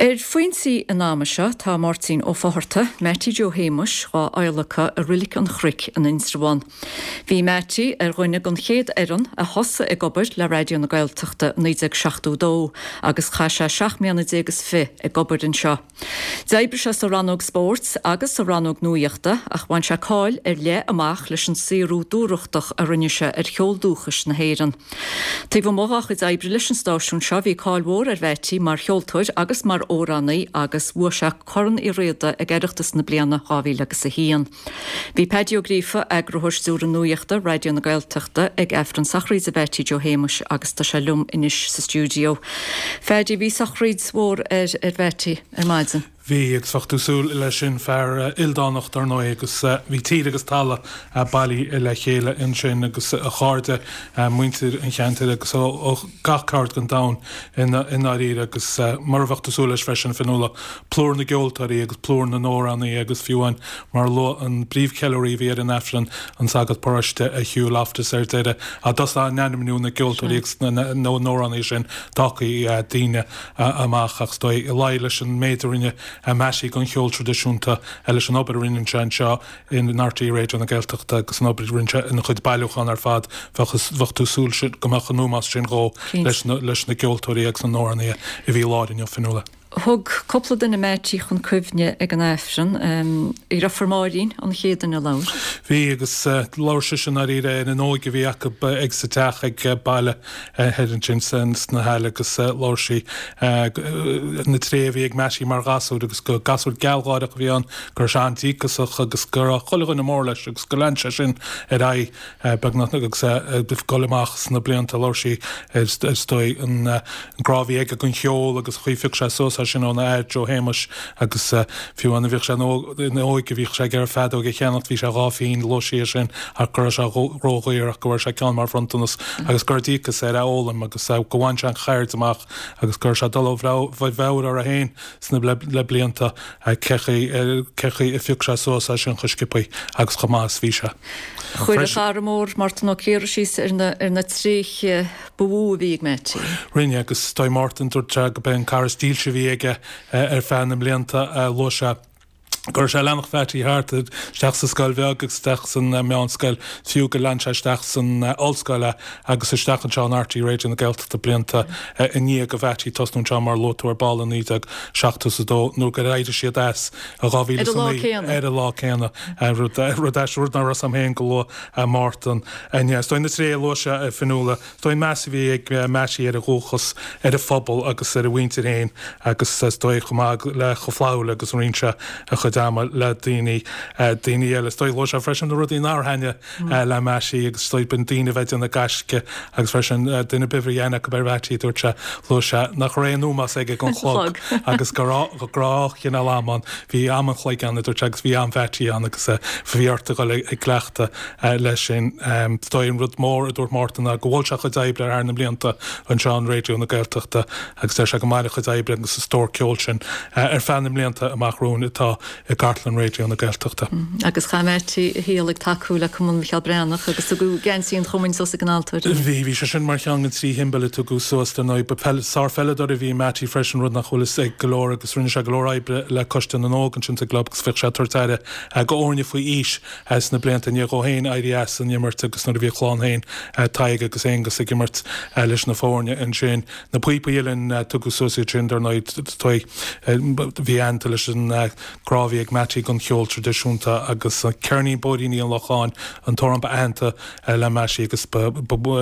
Ar Foinsí an ama seo tá Máirtín Ó Fátharta, Mattie Joe Shéamuis, dhá adhlacadh i Roilic an Chnoic in Indreabhán. Bhí Mattie ar dhuine den chéad fhoireann a thosaigh ag obair le Raidió na Gaeltachta i 1972 agus chaith sé seacht mbliana déag is fi ag obair anseo. D'oibrigh sé sa rannóg spóirt agus sa rannóg nuaíochta ach bhain sé cáil ar leith amach leis an saothrú dúthrachtach a rinne sé ar cheol dúchais na hÉireann. Taobh amuigh dá chuid oibre leis an stáisiún seo bhí cáil mhór ar Mheaití mar cheoltóir agus mar amhránaí agus bhuaigh sé Corn Uí Riada ag Oireachtas na bliana 2000 agus 1. Bhí Paddy Ó Gríofa, Eagarthóir Stiúrtha Nuaíochta, Raidió na Gaeltachta, ag Aifreann sochraide Mheaití Joe Shéamuis agus tá sé liom anois sa stiúideo. Phaddy, bhí sochraid mhór ar ar Mheaití ar maidin. Bhí, agus bheadh tú súil leis sin, fear ildánach dar ndóigh, agus bhí tír agus talamh bailithe le chéile ansin agus a chairde, muintir an cheantair agus ó gach ceard den domhan i ndáiríre agus mar a bheadh tú súil leis freisin, Fionnuala, plúr na gceoltóirí agus plúr na n-amhránaithe agus fiú amháin mar a luadh an príomhcheiliúraí a bhí ar an Aifreann, an sagart paróiste Hugh Loftus ar deireadh, á dtosach á n-ainmniú na gceoltóirí agus na n-amhránaithe sin d'fhágfaí daoine amach ach is dóigh, i luí leis an méid a rinne Mattie don cheol traidisiúnta, leis an obair a rinne sé anseo in RTÉ Raidió na Gaeltachta agus an obair a rinne sé ina chuid bailiúchán ar fad, bheadh tú súil go mbeadh an ómós sin dhó leis na gceoltóirí agus na n-amhránaithe a bhí i láthair inniu, Fionnuala. Thug cúpla duine Mattie chun cuimhne ag an Aifreann. A dheirfiúr Máirín an chéad duine a labhair. Bhí, agus labhair sise i ndáiríre ar an óige a bhí acu ag sa teach ag baile. thoir ansin sna hAille agus labhair sí na tréithe a bhí ag Mattie mar ghasúr agus gur gasúr gealgháireach a bhí ann, go raibh sé an-díocasach agus go raibh chuile dhuine mór leis agus gur lean sé sin ar aghaidh beagnach agus é ag dul amach sna blianta. Labhair sí ar is dóigh an grá a bhí aige don cheol agus an chaoi a phioc sé suas é sin óna athair Joe Shéamuis agus fiú amháin nuair a bhíodh sé ina óige bhíodh sé ag iarraidh feadóg a cheannacht, bhí sé 2 phingin, luaigh sí é sin ach go raibh sé ródhaor ach go bhfuair sé ceann mar bhronntanas agus go raibh díocas air é a fhoghlaim agus go bhain sé an cheird amach agus go raibh sé ag dul ó mheabhair orthu féin sna le blianta cé chaoi a phioc sé suas é sin chomh sciobthaí agus chomh maith is bhí sé. Chuir a chara mór Mártan Ó Ciardha síos ar na tréithe ba mhó a bhí ag Mattie. Rinne agus is dóigh Mártan dúirt sé go b'é an cara is dílse a bhí aige ar feadh na mblianta. Luaigh sé go raibh sé ag leanacht Mhattie thart, isteach sa scoil bheag agus isteach san meánscoil, fiú gur lean sé isteach san ollscoil é agus isteach anseo in RTÉ Raidió na Gaeltachta blianta i ndiaidh do Mhattie tosnú anseo mar a luaigh tú ar ball i 1972 nuair gur éirigh siad as i 2009 ar an lá céanna, rud rud rud nach raibh 's a'm féin go luaigh Mártan inné. Is dóigh na tréithe a luaigh sé, a Fionnuala, Is dóigh an meas a bhí ag Mattie ar a dhúchas, ar a phobal agus ar a mhuintir féin agus is dóigh chomh maith le chomh flaithiúil agus a roinn sé a chuid ama le daoine daoine eile. Is dóigh luaigh sé freisin na rudaí nár thaitnigh le Mattie agus is dóigh b'in daoine a bheith ag déanamh gaisce agus freisin duine ar bith a raibh aithne acu ar Mhattie dúirt sé luaigh sé nach raibh aon ómós aige don chlog agus go raibh dhá chineál am ann. Bhí am an chloig ann a dúirt sé agus bhí am Mhattie ann agus bhí ort a dhul ag cleachtadh leis sin. Is dóigh an rud mór a dúirt Mártan ná go mhol sé a chuid oibre thar na mblianta anseo in Raidió na Gaeltachta agus deir sé go mairfidh a chuid oibre agus an stór ceoil sin ar feadh na mblianta amach romhainn atá i gcartlann Raidió na Gaeltachta. Agus chaith Mattie a shaol ag tacú le Cumann Mhicheál Breathnach agus tugadh geansaí an chumainn suas ag an altóir inniu. Bhí, bhí sé sin mar cheann den trí shiombail a tugadh suas dar ndóigh. Ba sár-pheileadóir a bhí i Mattie freisin, rud nach bhfuil fhios ag go leor agus rinne sé go leor oibre le Coiste na nÓg ansin sa gclub agus bhíodh sé ag tabhairt aire go fhoirne faoi aois Sna blianta i ndiaidh dhó féin éirí as an imirt agus nuair a bhí a chlann féin, Tadhg agus Aonghus, ag imirt leis na foirne ansin. Na píopaí uilleann, tugadh suas iad sin, dar ndóigh, bhí aitheanta leis an grá a bhí ag Mattie don cheol traidisiúnta agus Ceirnín Bóithríní an Locháin, an t-amhrán ba aitheanta le Mattie agus ba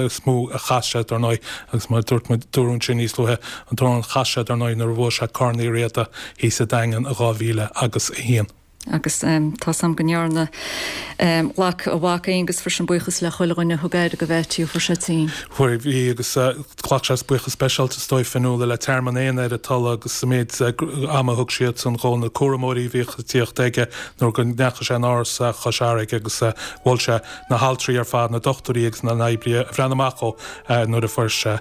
is mó a chas sé, dar ndóigh, agus mar a dúirt muid, dúradh ansin níos luaithe, an t-amhrán a chas sé, dar ndóigh, nuair a bhuaigh sé Corn Uí Riada thíos sa Daingean i 2001. Agus tá's a'm go ndearna, ghlac a mhac Aonghus freisin buíochas le chuile dhuine a thug aire do Mhattie ó fuair sé tinn. Fuair, bhí agus ghlac sé buíochas speisialta is dóigh Fionnuala le Tearmann Éanna ar an Tulaigh agus an méid ama a thug siadsan dhó, na cúramóirí a bhíodh ag tíocht aige nuair go ndeachaigh sé in áras Chois Fharraige agus mhol sé na haltraí ar fad, na dochtúirí agus na n-oibrithe a bhreathnaigh amach dhó nuair a fuair sé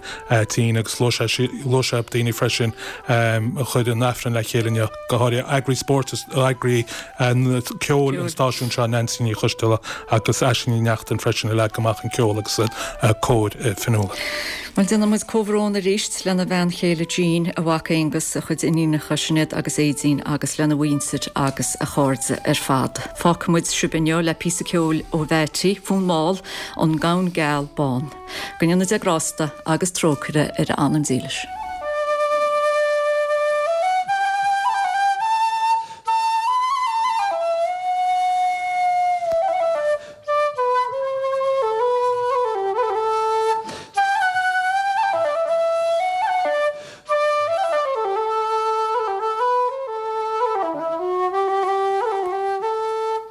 tinn agus luaigh sé luaigh sé daoine freisin a chuir an Aifreann le chéile inniu. go háirithe eagraí spóirt, eagraí Ceoil an stáisiúin seo, Neansaí Ní Choisdealbha agus Aisling Ní Neachtain freisin a leag amach an ceol agus an cór Fionnuala. Bhuel, déanann muid comhbhrón arís lena bhean chéile Jean, a mhac Aonghus, a chuid iníonacha Sinéad agus Aedín agus lena mhuintir agus a chairde ar fad. Fágfaidh muid sibh inniu le píosa ceoil ó Mheaití, Fonn Mall, An Gamhain Geal Bán. Go ndéana Dia grásta agus trócaire ar a anam dílis.